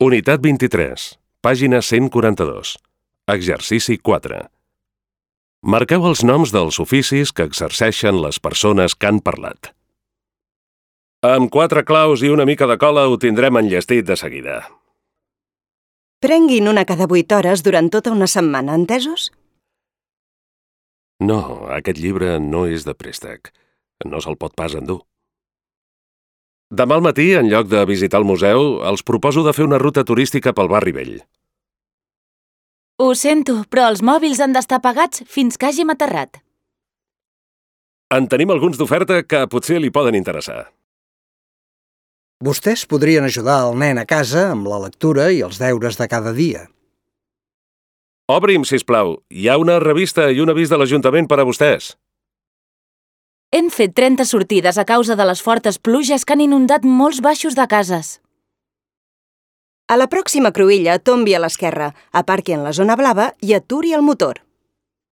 Unitat 23, pàgina 142. Exercici 4. Marqueu els noms dels oficis que exerceixen les persones que han parlat. Amb 4 claus i una mica de cola ho tindrem enllestit de seguida. Prenguin una cada 8 hores durant tota una setmana, entesos? No, aquest llibre no és de préstec. No se'l pot pas endur. Demà al matí, en lloc de visitar el museu, els proposo de fer una ruta turística pel barri vell. Ho sento, però els mòbils han d'estar apagats fins que hàgim aterrat. En tenim alguns d'oferta que potser li poden interessar. Vostès podrien ajudar el nen a casa amb la lectura i els deures de cada dia. Obri'm, sisplau. Hi ha una revista i un avís de l'Ajuntament per a vostès. Hem fet 30 sortides a causa de les fortes pluges que han inundat molts baixos de cases. A la pròxima cruïlla tombi a l'esquerra, aparqui en la zona blava i aturi el motor.